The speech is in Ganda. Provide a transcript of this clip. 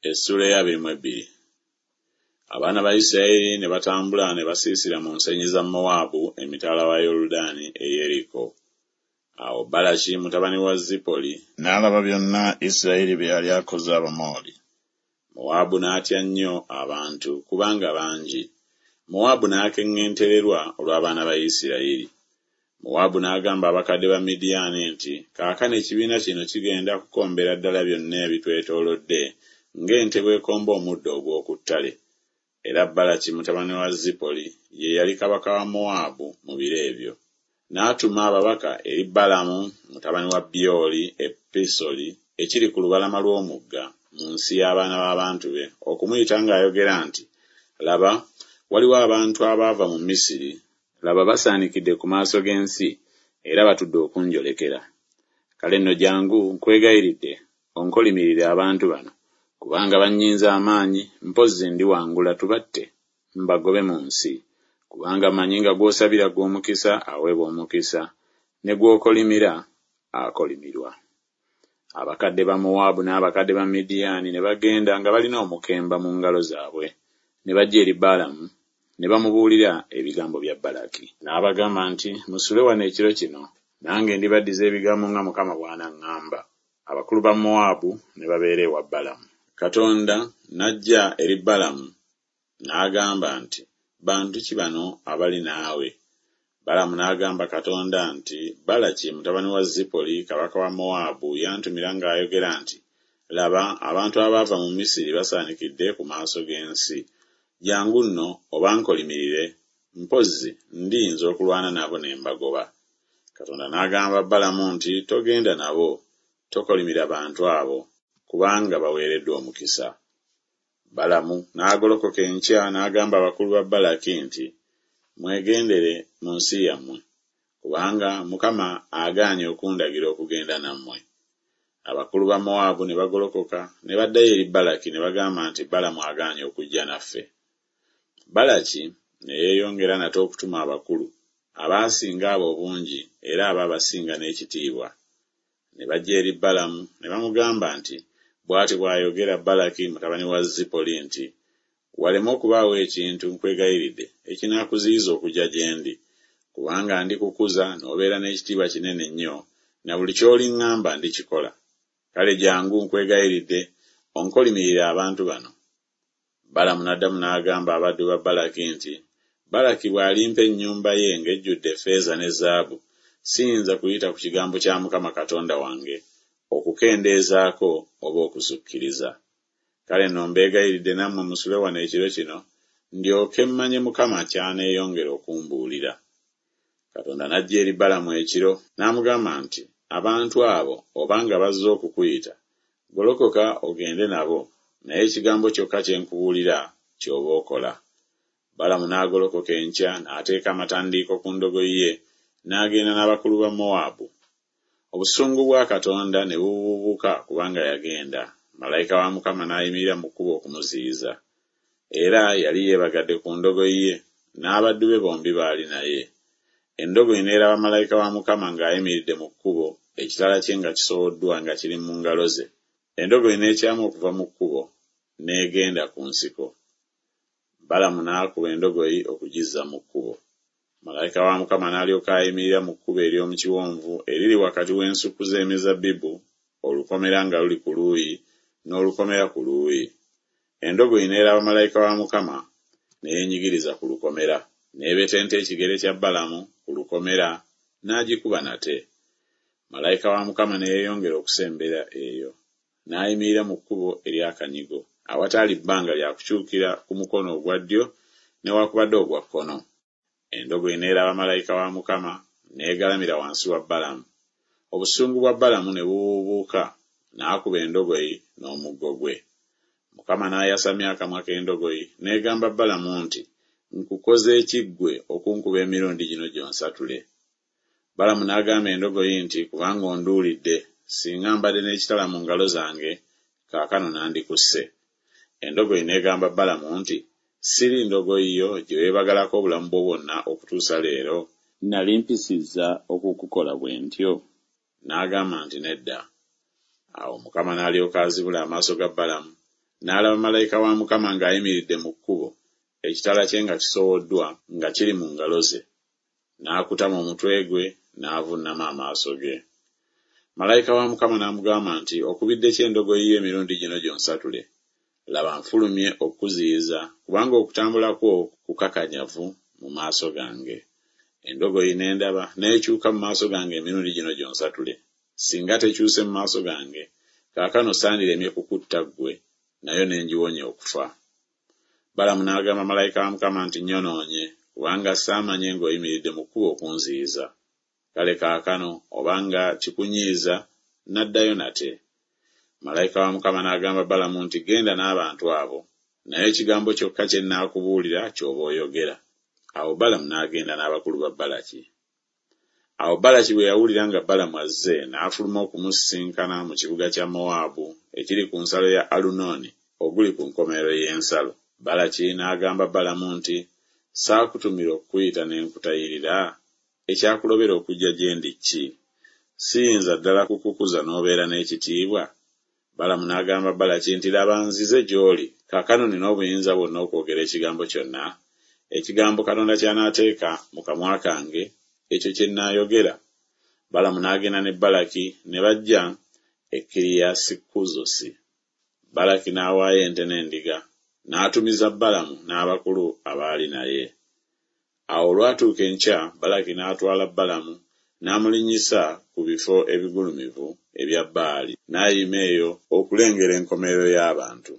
Essuula ey'abiri mu ebbiri. Abaana ba Isirayiri ne batambula ne basiisira mu nsenyi za Mowaabu emitala wa Yoludaani e Yeriko. Awo Balaki mutabani wa Zipoli n'alaba byonna Isirayiri bye yali akoze Abamoli. Mowaabu n'atya nnyo abantu, kubanga bangi. Mowaabu n'akeŋŋentererwa olw'abaana ba Isirayiri. Mowaabu n'agamba abakadde ba Midiyaani nti, Kaakano ekibiina kino kigenda kukombera ddala byonna ebitwetoolodde ng'ente bw'ekomba omuddo ogw'oku ttale. Era Balaki mutabani wa Zipoli ye yali kabaka wa Mowaabu mu biro ebyo. N'atuma ababaka eri Balamu mutabani wa Byoli e Pisoli ekiri ku lubalama lw'omugga mu nsi y'abaana b'abantu be, okumuyita ng'ayogera nti, Laba, waliwo abantu abaava mu Misiri, laba basaanikidde ku maaso g'ensi, era batudde okunjolekera. Kale nno jjangu, nkwegayiridde, onkolimirire abantu bano, kubanga bannyinze amaanyi, mpozzi ndiwangula tubatte, mbagobe mu nsi. Kubanga mmanyi nga gw'osabira ggwe omukisa aweebwa omukisa, ne gw'okolimira akolimirwa. Abakadde ba Mowaabu n'abakadde ba Midiyaani ne bagenda nga balina omukemba mu ngalo zaabwe, ne bajja eri Balamu, ne bamubuulira ebigambo bya Balaki. N'abagamba nti, Musule wano ekiro kino, nange ndibaddiza ebigambo nga Mukama bw'anaŋŋamba. Abakulu ba Mowaabu ne babeera ewa Balamu. Katonda n'ajja eri Balamu n'agamba nti, Bantu ki bano abali naawe? Balamu n'agamba Katonda nti, Balaki mutabani wa Zipoli kabaka wa Mowaabu yantumira ng'ayogera nti, Laba, abantu abaava mu Misiri basaanikidde ku maaso g'ensi. Jjangu nno obankolimirire, mpozzi ndiyinza okulwana nabo ne mbagoba. Katonda n'agamba Balamu nti, Togenda nabo, tokolimira bantu abo, kubanga baweereddwa omukisa. Balamu n'agolokoka enkya n'agamba abakulu ba Balaki nti, Mwegendere mu nsi yammwe, kubanga Mukama agaanye okundagira okugenda nammwe. Abakulu ba Mowaabu ne bagolokoka ne baddayo eri Balaki ne bagamba nti Balamu agaanye okujja naffe. Balaki ne yeeyongera nate okutuma abakulu, abaasinga abo obungi era abaabasinga n'ekitiibwa. Ne bajja eri Balamu ne bamugamba nti, Bw'ati bw'ayogera Balaki mutabani wa Zipoli nti, Waleme okubaawo ekintu, nkwegayiridde, ekinaakuziyiza okujja gye ndi, kubanga ndikukuza n'obeera n'ekitiibwa kinene nnyo, na buli ky'oliŋŋamba ndikikola. Kale jjangu, nkwegayiridde, onkolimirire abantu bano. Balamu n'addamu n'agamba abaddu ba Balaki nti, Balaki bw'alimpa ennyumba ye ng'ejjudde effeeza ne zaabu, siyinza kuyita ku kigambo kya Mukama Katonda wange, okukendeezaako oba okusukkiriza. Kale nno mbeegayiridde nammwe musule wano ekiro kino, ndyoke mmanye Mukama ky'aneeyongera okumbuulira. Katonda n'ajja eri Balamu ekiro, n'amugamba nti, Abantu abo oba nga bazze okukuyita, golokoka ogende nabo, naye ekigambo kyokka kye nkubuulira ky'oba okola. Balamu n'agolokoka enkya n'ateeka amatandiiko ku ndogoyi ye, n'agenda n'abakulu ba Mowaabu. Obusungu bwa Katonda ne bubuubuuka kubanga yagenda, malayika wa Mukama n'ayimirira mu kkubo okumuziyiza. Era yali yeebagadde ku ndogoyi ye, n'abaddu be bombi baali naye. Endogoyi n'eraba malayika wa Mukama ng'ayimiridde mu kkubo, ekitala kye nga kisowoddwa nga kiri mu ngalo ze. Endogoyi n'ekyama okuva mu kkubo, n'egenda ku nsiko. Balamu n'akuba endogoyi okugizza mu kkubo. Malayika wa Mukama n'alyoka ayimirira mu kkubo ery'omu kiwonvu eriri wakati w'ensuku z'emizabbibu, olukomera nga luli ku luuyi n'olukomera ku luuyi. Endogoyi n'eraba malayika wa Mukama, ne yeenyigiriza ku lukomera. N'ebetenta ekigere kya Balamu ku lukomera, n'agikuba nate. Malayika wa Mukama ne yeeyongera okusembera eyo, n'ayimirira mu kkubo ery'akanyigo, awataali bbanga lya kukyukira ku mukono ogwa ddyo newakubadde ogwa kkono. Endogoyi n'eraba malayika wa Mukama, n'egalamira wansi wa Balamu. Obusungu bwa Balamu ne bubuubuuka, n'akuba endogoyi n'omuggo gwe. Mukama n'ayasamya akamwa k'endogoyi, n'egamba Balamu nti, Nkukoze ki ggwe okunkuba emirundi gino gyonsatule? Balamu n'agamba endogoyi nti, Kubanga onduulidde, singa mbadde n'ekitala mu ngalo zange, kaakano nandikusse. Endogoyi n'egamba Balamu nti, Siri ndogoyi yo gye weebagalako obulamu bwo bwonna okutuusa leero? Nnali mpisizza okukukola bwe ntyo? N'agamba nti, Nedda. Awo Mukama n'alyoka azibula amaaso ga Balamu, N'alaba malayika wa Mukama ng'ayimiridde mu kkubo, ekitala kye nga kisowoddwa nga kiri mu ngalo ze. N'akutama omutwe gwe, n'avunnama amaaso ge. Malayika wa Mukama n'amugamba nti, Okubidde ki endogoyi yo emirundi gino gyonsatule? Laba nfulumye okukuziyiza, kubanga okutambula kwo kukakanyavu mu maaso gange. Endogoyi n'endaba, n'ekyuka mu maaso gange emirundi gino gyonsatule. Singa tekyuse mu maaso gange, kaakano sandiremye kukutta ggwe, nayo ne ngiwonya okufa. Balamu n'agamba malayika wa Mukama nti, Nnyonoonye, kubanga saamanye ng'oyimiridde mu kkubo okunziyiza. Kale kaakano obanga kikunyiiza, nnaddayo nate. Malayika wa Mukama n'agamba Balamu nti, Genda n'abantu abo, naye ekigambo kyokka kye nnaakubuulira ky'oba oyogera. Awo Balamu n'agenda n'abakulu ba Balaki. Awo Balaki bwe yawulira nga Balamu azze, n'afuluma okumusisinkana mu kibuga kya Mowaabu ekiri ku nsalo ya Alunooni oguli ku nkomerero y'ensalo. Balaki n'agamba Balamu nti, Saakutumira okukuyita ne nkutayirira? Ekyakulobera okujja gye ndi ki? Siyinza ddala kukukuza n'obeera n'ekitiibwa? Balamu n'agamba Balaki nti, Laba nzize gy'oli, kaakano nnina obuyinza bwonna okwogera ekigambo kyonna? Ekigambo Katonda ky'anaateeka mu kamwa kange, ekyo kye nnaayogera. Balamu n'agenda ne Balaki, ne bajja e Kiriyasi-Kuzosi. Balaki n'awaayo ente n'endiga, n'atumiza Balamu n'abakulu abaali naye. Awo olwatuuka enkya Balaki n'atwala Balamu n'amulinnyisa ku bifo ebigulumivu ebya Baali, n'ayima eyo okulengera enkomerero y'abantu.